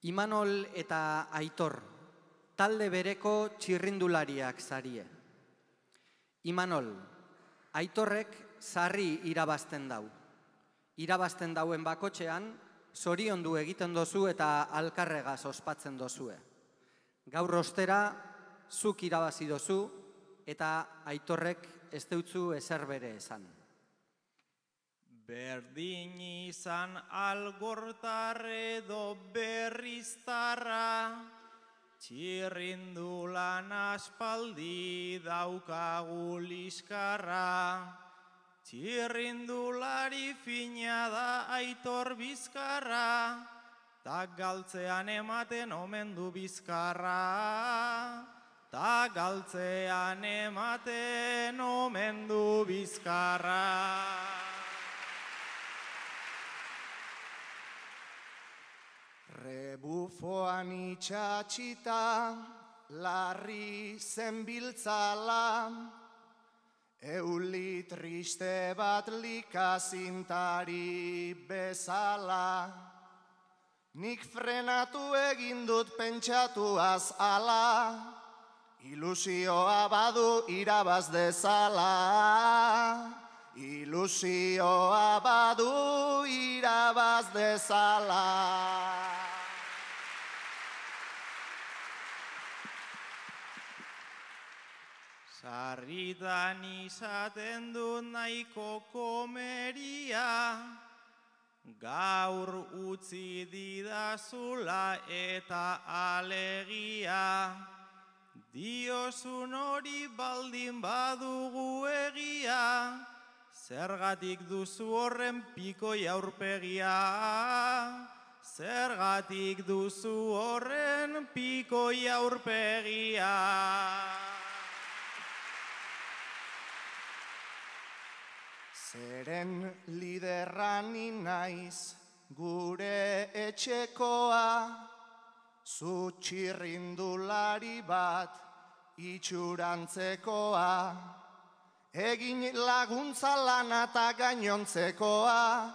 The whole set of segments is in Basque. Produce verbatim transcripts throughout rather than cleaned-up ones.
Imanol eta Aitor, talde bereko txirrindulariak zarie. Imanol, Aitorrek sarri irabazten dau. Irabazten dauen bakotxean, zoriondu egiten dozu eta alkarregaz ospatzen dozue. Gaur ostera, zuk irabazi dozu eta Aitorrek ez deutzu ezer bere esan. Berdin izan algortar edo berriztarra, txirrindulan aspaldi daukagu liskarra. Txirrindulari fina da Aitor Bizkarra, tak galtzean ematen omen du bizkarra. Tak galtzean ematen omen du bizkarra. Rebufoan itxatxita, larri zenbiltzala, euli triste bat likazintari bezala. Nik frenatu egin dut pentsatuaz ala, ilusioa badu irabaz dezala. Ilusioa badu irabaz dezala. Sarritan izaten du nahiko komeria, gaur utzi didazula eta alegia. Diozun hori baldin badugu egia, zergatik duzu horren pikoi aurpegia. Zergatik duzu horren pikoi aurpegia. Zeren liderrani naiz gure etxekoa, zu txirrindulari bat itxurantzekoa. Egin laguntza lana eta gainontzekoa,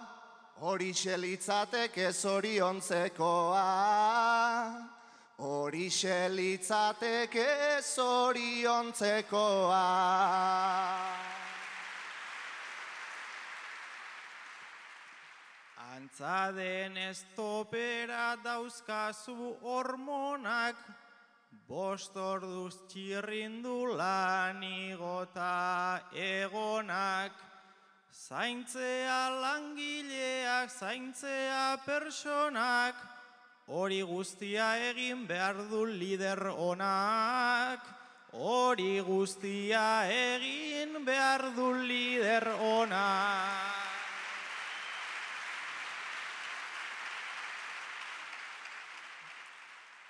horixe litzateke zoriontzekoa. Horixe litzateke zoriontzekoa. Antza denez topera dauzkazu hormonak, bost orduz txirrindulan igota egonak. Zaintzea langileak, zaintzea personak, hori guztia egin behar du lider onak. Hori guztia egin behar du lider onak.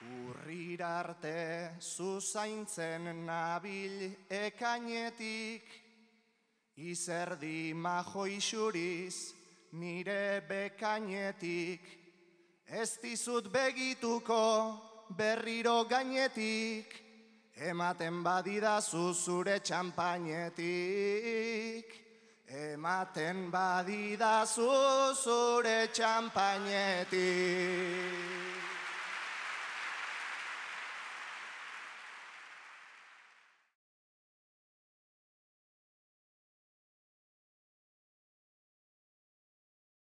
Urrira arte zuzaintzen nabil ekainetik, izerdi majo isuriz nire bekainetik. Ez dizut begituko berriro gainetik, ematen badidazu zure txampainetik. Ematen badidazu zure txampainetik.